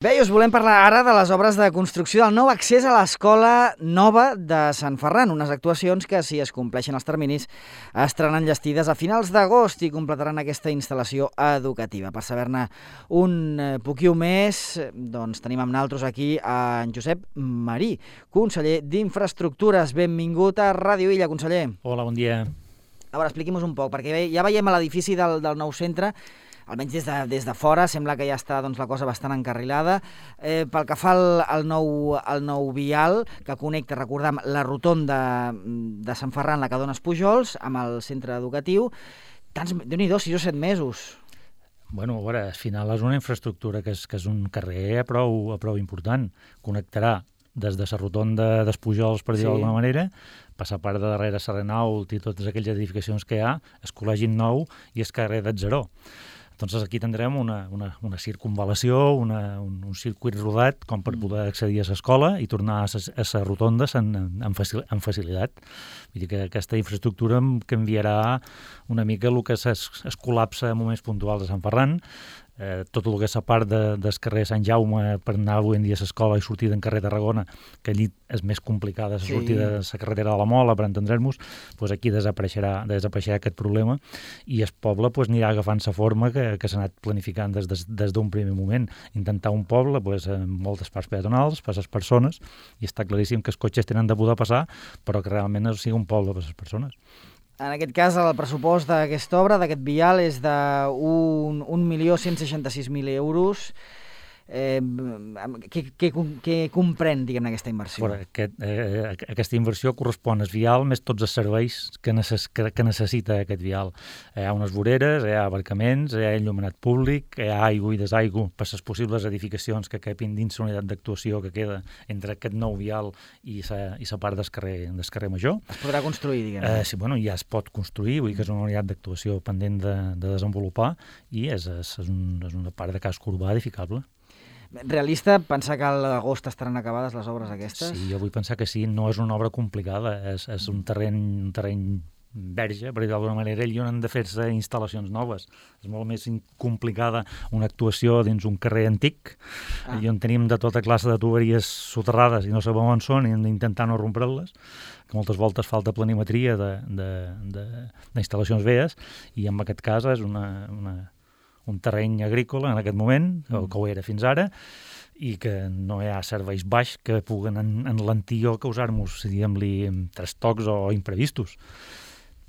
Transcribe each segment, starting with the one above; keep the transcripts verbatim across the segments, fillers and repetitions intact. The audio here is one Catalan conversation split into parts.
Bé, i us volem parlar ara de les obres de construcció del nou accés a l'Escola Nova de Sant Ferran, unes actuacions que, si es compleixen els terminis, estaran enllestides a finals d'agost i completaran aquesta instal·lació educativa. Per saber-ne un poquiu més, doncs tenim amb naltros aquí a en Josep Marí, conseller d'Infraestructures. Benvingut a Ràdio Illa, conseller. Hola, bon dia. A veure, expliqui'm un poc, perquè ja veiem a l'edifici del, del nou centre, almenys des de, des de fora, sembla que ja està doncs, la cosa bastant encarrilada. Eh, pel que fa al, al, nou, al nou vial, que connecta, recordem, la rotonda de Sant Ferran, la que dona Pujols, amb el centre educatiu, tants, Déu-n'hi-do, sis o set mesos. Bueno, a veure, al final és una infraestructura que és, que és un carrer a prou, a prou important. Connectarà des de la rotonda d'Espujols, per dir-ho sí. d'alguna manera, passar per de darrere Serrenaut i totes aquelles edificacions que hi ha, el col·legi nou i el carrer d'Atzeró. Doncs aquí tindrem una, una, una circunvalació, una, un, un circuit rodat com per poder accedir a l'escola i tornar a les rotondes en, en, facil, en facilitat. Vull dir que aquesta infraestructura canviarà una mica el que es, es col·lapsa en moments puntuals a Sant Ferran. Eh, tot el que és la part de, del carrer Sant Jaume per anar avui en dia a l'escola i sortir d'en carrer Tarragona, que allí és més complicada la sí. sortida de la carretera de la Mola, per entendre'ns, doncs aquí desapareixerà, desapareixerà aquest problema i el poble doncs, anirà agafant la forma que, que s'ha anat planificant des, des, des d'un primer moment. Intentar un poble doncs, amb moltes parts peatonals per a les persones, i està claríssim que els cotxes tenen de poder passar, però que realment no sigui un poble per a les persones. En aquest cas, el pressupost d'aquesta obra, d'aquest vial, és d'un milió cent seixanta-sis mil euros. Eh, què, què, què comprèn, diguem-ne, aquesta inversió? Però aquest, eh, aquesta inversió correspon al vial més tots els serveis que, necess, que, que necessita aquest vial. Hi ha unes voreres, hi ha aparcaments, hi ha enllumenat públic, hi ha aigua i desaigua per les possibles edificacions que capin dins la unitat d'actuació que queda entre aquest nou vial i la part del carrer, del carrer Major. Es podrà construir, diguem-ne? Eh, sí, bueno, ja es pot construir, vull dir que és una unitat d'actuació pendent de, de desenvolupar i és, és, és, un, és una part de casc urbà edificable. Realista pensar que a l'agost estaran acabades les obres aquestes? Sí, jo vull pensar que sí. No és una obra complicada, és, és un terreny, un terreny verge, per dir d'alguna manera, i on han de fer-se instal·lacions noves. És molt més complicada una actuació dins un carrer antic, ah. i on tenim de tota classe de tuberies soterrades i no sabem on són i hem d'intentar no rompre-les, que moltes voltes falta planimetria d'instal·lacions velles, i en aquest cas és una... una un terreny agrícola en aquest moment, mm. que ho era fins ara, i que no hi ha serveis baix que puguen en, enlentir o causar-nos, diguem-li, trastocs o imprevistos.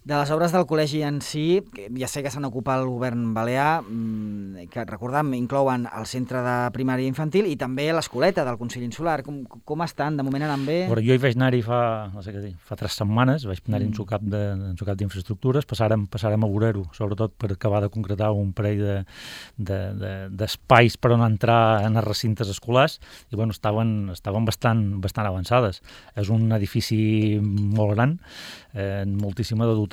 De les obres del col·legi en si, ja sé que s'han ocupat el govern balear, que recordem, inclouen el centre de primària infantil i també l'escoleta del Consell Insular. Com, com estan? De moment anant bé? Bueno, jo hi vaig anar-hi fa, no sé què dir, fa tres setmanes, vaig anar-hi mm. en su cap de, en su cap d'infraestructures, passarem, passarem a veure-ho, sobretot per acabar de concretar un parell de, de, de, d'espais per on entrar en els recintes escolars, i bueno, estaven, estaven bastant, bastant avançades. És un edifici molt gran, eh, moltíssima de dotació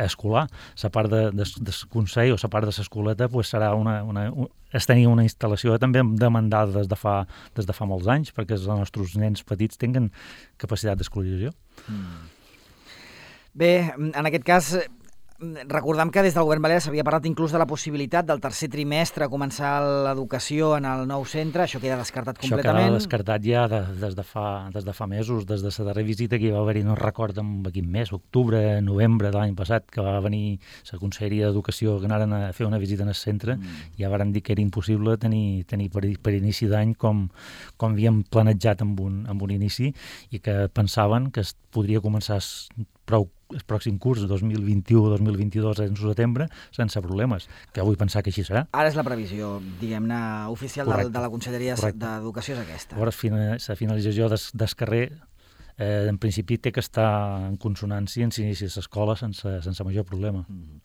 escolar. La part de, de, del Consell o la part de l'escoleta pues, serà una, una, un, es tenia una instal·lació també demandada des de fa, des de fa molts anys perquè els nostres nens petits tinguin capacitat d'escolarització. Mm. Bé, en aquest cas, recordem que des del govern balear s'havia parlat inclús de la possibilitat del tercer trimestre començar l'educació en el nou centre. Això queda descartat completament. Això queda descartat ja de, des, de fa, des de fa mesos, des de la darrera visita que hi va haver-hi, no recordo en quin mes, octubre, novembre de l'any passat, que va venir la Conselleria d'Educació que anaren a fer una visita en el centre, mm. i ja varen dir que era impossible tenir, tenir per, per inici d'any com, com havíem planejat amb un, amb un inici, i que pensaven que es podria començar prou el pròxim curs, dos mil vint-i-u dos mil vint-i-dos, en setembre, sense problemes, que vull pensar que així serà. Ara és la previsió, diguem-ne, oficial de, de la Conselleria d'Educació és aquesta. Llavors, la finalització del, del carrer, eh, en principi té que estar en consonància en s'inici a l'escola sense, sense major problema. Mm.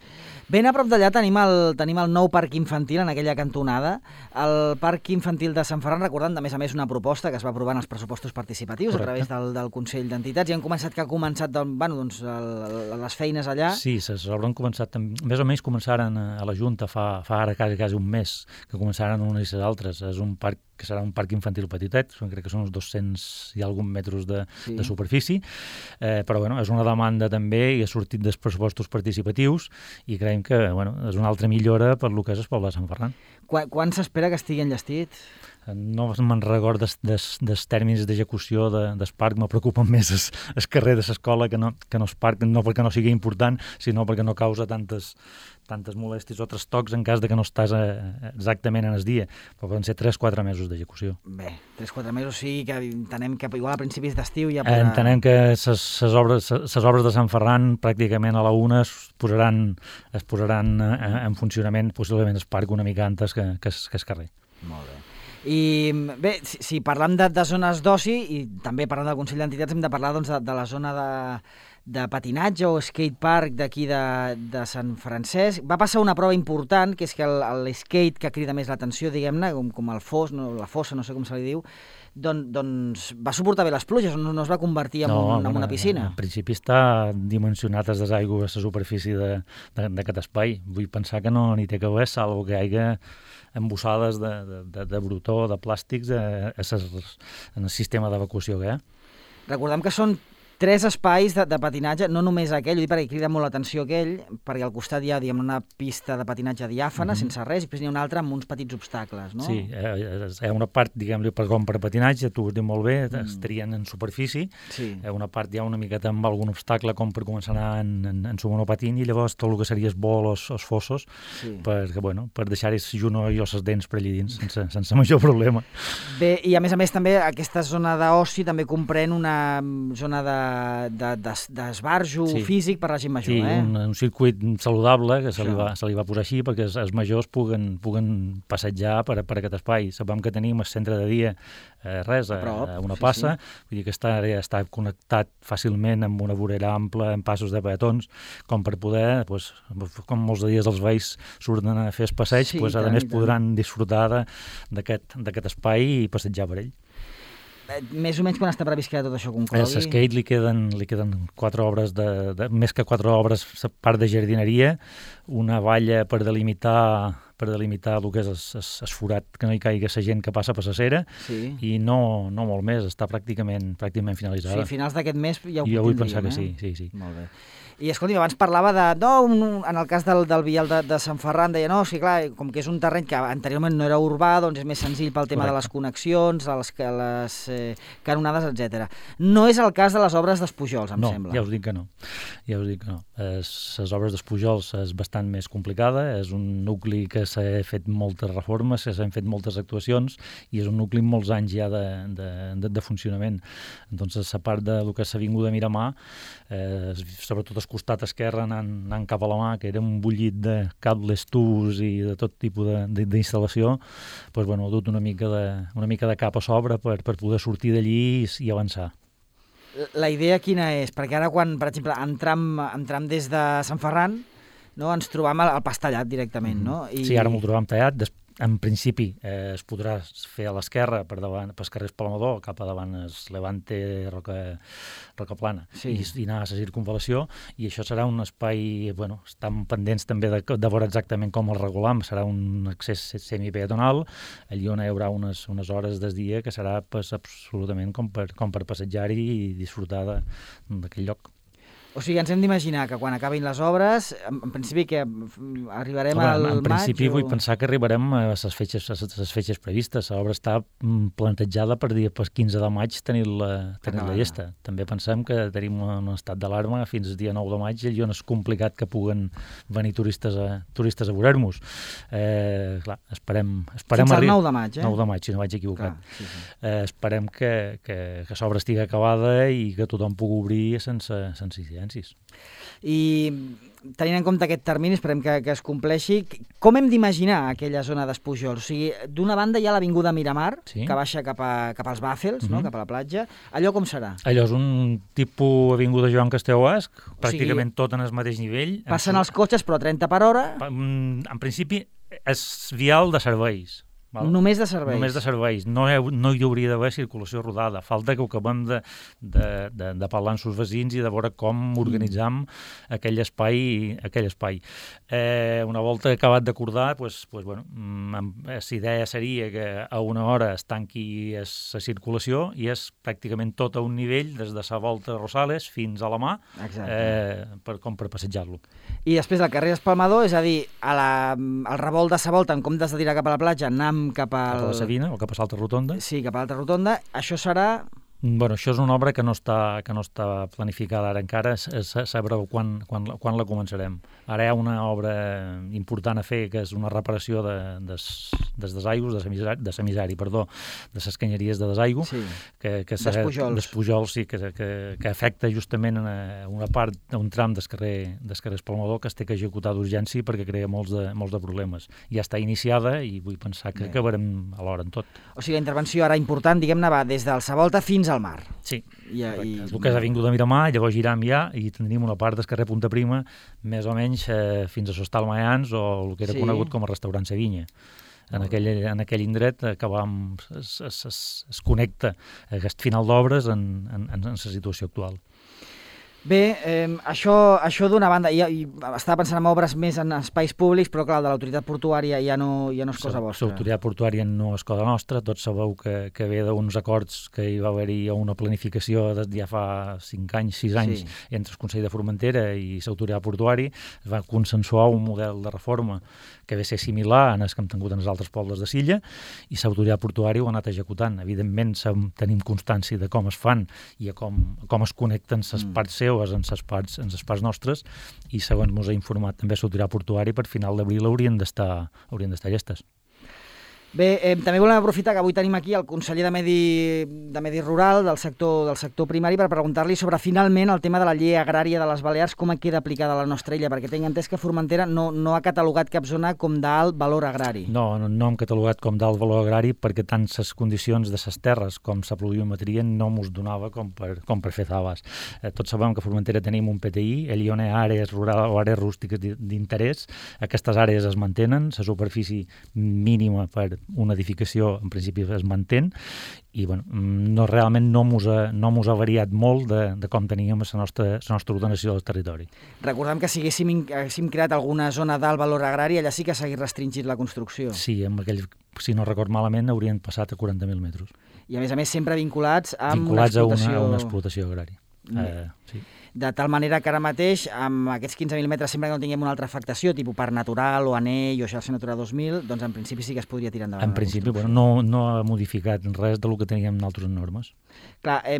Ben a prop d'allà tenim el, tenim el nou parc infantil en aquella cantonada. El parc infantil de Sant Ferran, recordant, a més a més, una proposta que es va aprovar en els pressupostos participatius. Correcte. A través del, del Consell d'Entitats, i han començat que ha començat del, bueno, doncs, el, les feines allà. Sí, s'hauran començat, més o menys començaren a la Junta fa, fa ara quasi, quasi un mes, que començaren unes i les altres. És un parc que serà un parc infantil petitet, crec que són uns dos-cents i algun metres de, sí. de superfície, eh, però bueno, és una demanda també i ha sortit dels pressupostos participatius i creiem que bueno, és una altra millora per lo que és el poble de Sant Ferran. Quan, quan s'espera que estigui enllestit? No me'n record dels, des, des tèrmins d'execució de, del parc, me preocupen més el, el carrer de l'escola que no, que no el parc, no perquè no sigui important, sinó perquè no causa tantes, tantes molèsties o trastocs en cas de que no estàs a, exactament en el dia, però poden ser tres quatre mesos d'execució. Bé, tres quatre mesos sí, que entenem que igual a principis d'estiu ja podrà... Entenem que les obres, obres de Sant Ferran pràcticament a la una es posaran, es posaran en funcionament, possiblement el parc una mica antes que, que, que el carrer. Molt bé. I bé, si, si parlem de, de zones d'oci i també parlant del Consell d'Entitats hem de parlar doncs, de, de la zona de, de patinatge o skate park d'aquí de, de Sant Francesc. Va passar una prova important, que és que l'skate que crida més l'atenció, diguem-ne, com, com el fos, no, la fossa, no sé com se li diu, don, doncs va suportar bé les pluges, no, no es va convertir en, no, un, en bueno, una piscina. En principi està dimensionat des des aigües a la superfície d'aquest espai. Vull pensar que no n'hi té que veure, salvo que hi hagi embossades de, de, de, de brutó, de plàstics a, a ses, en el sistema d'evacuació que hi ha. Recordem que són tres espais de, de patinatge, no només aquell, ho dic perquè crida molt l'atenció aquell, perquè al costat hi ha diguem, una pista de patinatge diàfana, mm-hmm. sense res, i després n'hi ha una altra amb uns petits obstacles, no? Sí, hi ha una part, diguem-li, per com per patinatge, tu ho has dit molt bé, mm. estarien en superfície, sí. Hi ha una part hi ha una miqueta amb algun obstacle com per començar a anar en, en, en su monopatín, i llavors tot el que seria el bol o els fossos, sí. per, bueno, per deixar-hi el juno i les dents per allà dins, sense, sense major problema. Bé, i a més a més també aquesta zona d'oci també comprèn una zona de d'esbarjo de, de, sí. físic per la gent major. Sí, eh? un, un circuit saludable que se li, va, se li va posar així perquè els, els majors puguen, puguen passejar per, per aquest espai. Sabem que tenim el centre de dia eh, res, a, a una passa, sí, sí. Vull dir que està, està connectat fàcilment amb una vorera ampla, amb passos de peatons, com per poder, pues, com molts dies els veïns surten a fer el passeig, sí, pues, a tant, més podran disfrutar d'aquest espai i passejar per ell. Més o menys quan està previst que tot això conclogui? A skate li queden, li queden quatre obres, de, de, més que quatre obres, part de jardineria, una valla per delimitar per delimitar el que és el forat, que no hi caigui la gent que passa per la cera, sí. I no, no molt més, està pràcticament, pràcticament finalitzada. Sí, a finals d'aquest mes ja ho jo vull pensar eh? que sí, sí, sí. Molt bé. I escolti, abans parlava de, no, un, en el cas del, del vial de, de Sant Ferran, deia, no, sí, clar, com que és un terreny que anteriorment no era urbà, doncs és més senzill pel tema Correcte. De les connexions, les, les eh, canonades, etcètera. No és el cas de les obres d'Espujols, em no, sembla. No, ja us dic que no. Ja us dic que no. Es, les obres d'Espujols és bastant més complicada, és un nucli que s'ha fet moltes reformes, que s'han fet moltes actuacions, i és un nucli amb molts anys ja de, de, de, de funcionament. Doncs a part del que s'ha vingut a Miramar, eh, sobretot al costat esquerre anant, anant cap a la mà, que era un bullit de cables, tubs i de tot tipus d'instal·lació, doncs, bueno, ha dut una mica de, una mica de cap a sobre per, per poder sortir d'allí i, i avançar. La idea quina és? Perquè ara quan, per exemple, entram, entram des de Sant Ferran, no, ens trobam al pas tallat directament, mm-hmm. no? I... Sí, ara m'ho trobam tallat. Des... En principi eh, es podrà fer a l'esquerra per davant, pels carrers Palamador, cap a davant es Levante, Roca, Roca Plana, sí. i, i anar a la circunvalació, i això serà un espai, bueno, estan pendents també de, de veure exactament com el regulam, serà un accés semipeatonal, allí on hi haurà unes, unes hores del dia que serà pues, absolutament com per, com per passejar-hi i disfrutar d'aquell lloc. O sigui, ens hem d'imaginar que quan acabin les obres, en, en principi que arribarem Home, al maig... En principi o... vull pensar que arribarem a les fetges, a les fetges previstes. L'obra està plantejada per dir per quinze de maig tenir-la tenir la llesta. També pensem que tenim un estat d'alarma fins al dia nou de maig i on és complicat que puguen venir turistes a, turistes a veure-nos. Eh, clar, esperem... esperem fins al nou de maig, eh? nou de maig, si no vaig equivocat. Clar, sí, sí. Eh, esperem que, que, que l'obra estigui acabada i que tothom pugui obrir sense, sense incidència. I tenint en compte aquest termini, esperem que, que es compleixi, com hem d'imaginar aquella zona d'Espujols? O sigui, d'una banda hi ha l'avinguda Miramar, sí. que baixa cap, a, cap als Bàfels, mm-hmm. no? Cap a la platja. Allò com serà? Allò és un tipus avinguda Joan Castelló Basc, pràcticament o sigui, tot en el mateix nivell. Passen els cotxes, però a trenta per hora? En principi, és vial de serveis. Val? Només de serveis? Només de serveis. No, he, no hi hauria d'haver circulació rodada. Falta que ho acabem de, de, de, de parlar amb els veïns i de veure com organitzam mm. aquell espai. Aquell espai. Eh, una volta acabat d'acordar, pues, pues, bueno, la idea seria que a una hora es tanqui la circulació i és pràcticament tot a un nivell, des de la volta de Rosales fins a la mà, eh, per, com per passejar-lo. I després el carrer Espalmador, és a dir, a la, al revolt de sa volta, en comptes de tirar cap a la platja, anam cap, al... cap a la Sabina o cap a l'altra rotonda. Sí, cap a l'altra rotonda. Això serà... Bueno, això és una obra que no està, que no està planificada ara encara, sabreu quan, quan, quan la començarem. Ara hi ha una obra important a fer, que és una reparació de, des, des desaigües, de semisari, de semisari, perdó, de les canyeries de desaigüe, sí. que, que serà, Despujols. Despujols, sí, que, que, que afecta justament una, una part, un tram del carrer, del carrer Espalmador que es té que executar d'urgència perquè crea molts de, molts de problemes. Ja està iniciada i vull pensar que Bé. acabarem alhora en tot. O sigui, la intervenció ara important, diguem-ne, va des del Savolta fins al mar. Sí, I, i... el que és Avinguda Miramar, llavors giram ja i tindríem una part del carrer Punta Prima més o menys eh, fins a Sostal Mayans o el que era sí. conegut com a restaurant Sevinya. En aquell, en aquell indret acabam, es, es, es, es connecta aquest final d'obres en, en, en la situació actual. Bé, eh, això, això d'una banda, i, i estava pensant en obres més en espais públics, però clar, de l'autoritat portuària ja no, ja no és cosa vostra. L'autoritat portuària no és cosa nostra, tots sabeu que, que ve d'uns acords que hi va haver-hi una planificació de, ja fa cinc anys, sis anys, sí. entre el Consell de Formentera i l'autoritat portuària, es va consensuar un model de reforma que ve ser similar a les que hem tingut en els altres pobles de Silla, i l'autoritat portuària ho ha anat executant. Evidentment tenim constància de com es fan i a com, com es connecten les mm. parts seves en les parts, en les parts nostres, i segons ens ha informat també l'autoritat portuària, per final d'abril haurien d'estar haurien d'estar llestes. Bé, eh, també volem aprofitar que avui tenim aquí el conseller de Medi, de Medi Rural del sector, del sector primari per preguntar-li sobre finalment el tema de la llei agrària de les Balears, com queda aplicada a la nostra illa, perquè tinc entès que Formentera no, no ha catalogat cap zona com d'alt valor agrari. No, no, no hem catalogat com d'alt valor agrari perquè tant les condicions de les terres com la pluviometria no mos donava com per, com per fer faves. Eh, tots sabem que a Formentera tenim un P T I, allí on hi ha àrees rurals o àrees rústiques d'interès, aquestes àrees es mantenen, la superfície mínima per una edificació en principi es mantén i bueno, no, realment no mos ha, no mos ha variat molt de, de com teníem la nostra, la nostra ordenació del territori. Recordem que si haguéssim, haguéssim creat alguna zona d'alt valor agrari, allà sí que s'hagués restringit la construcció. Sí, amb aquell, si no record malament, haurien passat a quaranta mil metres. I a més a més sempre vinculats amb vinculats una explotació... a una, a una explotació agrària. Mm. Uh, sí. De tal manera que ara mateix, amb aquests quinze mil metres, sempre que no tinguem una altra afectació, tipus Parc Natural o Anell o Xarxa Natura dos mil, doncs en principi sí que es podria tirar endavant. En principi, bueno, no, no ha modificat res del que teníem nosaltres en normes. Clar, eh,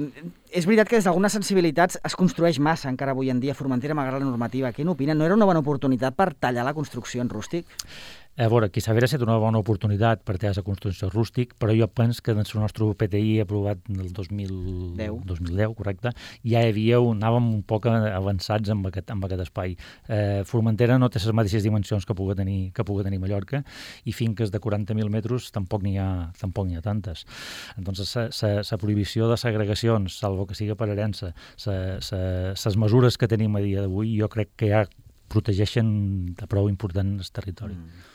és veritat que des d'algunes sensibilitats es construeix massa encara avui en dia a Formentera, malgrat la normativa. Què n'opina? No era una bona oportunitat per tallar la construcció en rústic? A veure, aquí s'hauria estat una bona oportunitat per tallar la construcció rústic, però jo penso que en el nostre P T I aprovat el dos mil deu, dos mil deu correcte, ja hi havia, anàvem un poc avançats amb aquest, amb aquest espai. Eh, Formentera no té les mateixes dimensions que pugui tenir, que pugui tenir Mallorca, i finques de quaranta mil metres tampoc n'hi ha, tampoc n'hi ha tantes. Entonces, la prohibició de segregacions, salvo que siga per herència, les mesures que tenim a dia d'avui, jo crec que ja protegeixen de prou important el territori. Mm.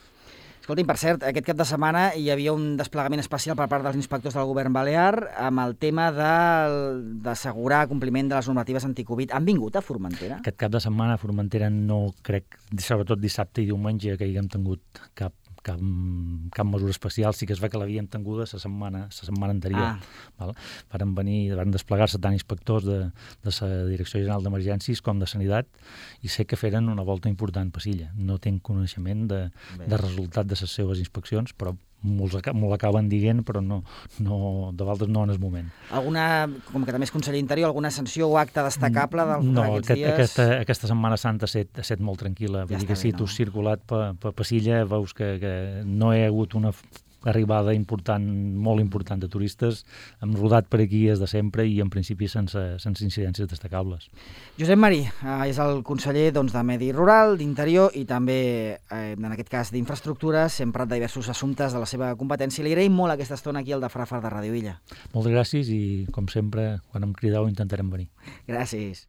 Escolti'm, per cert, aquest cap de setmana hi havia un desplegament especial per part dels inspectors del govern balear amb el tema d'assegurar compliment de les normatives anticovid. Han vingut a Formentera? Aquest cap de setmana a Formentera no crec, sobretot dissabte i diumenge, que haguem tingut cap Cap, cap mesura especial. Sí que es va que l'havíem tinguda la setmana, la setmana anterior. Ah. Val? Varen venir, varen desplegar-se tant inspectors de, de la Direcció General d'Emergències com de Sanitat, i sé que feren una volta important per Silla. No tinc coneixement de, de resultat de les seves inspeccions, però m'ho l'acaben dient, però no, no, de vegades no en el moment. Alguna, com que també és conseller d'Interior, alguna sanció o acte destacable d'aquests no, aquest, dies? No, aquesta, aquesta Setmana Santa ha estat, ha estat molt tranquil·la. Ja Vull dir que si tu has circulat per, per, per Silla, veus que, que no hi ha hagut una arribada important, molt important de turistes. Hem rodat per aquí des de sempre i en principi sense, sense incidències destacables. Josep Marí eh, és el conseller doncs, de Medi Rural, d'Interior i també, eh, en aquest cas, d'Infraestructures. Hem parlat de diversos assumptes de la seva competència. Li agraïm molt aquesta estona aquí al de Frafar de Ràdio Illa. Moltes gràcies i, com sempre, quan em crideu intentarem venir. Gràcies.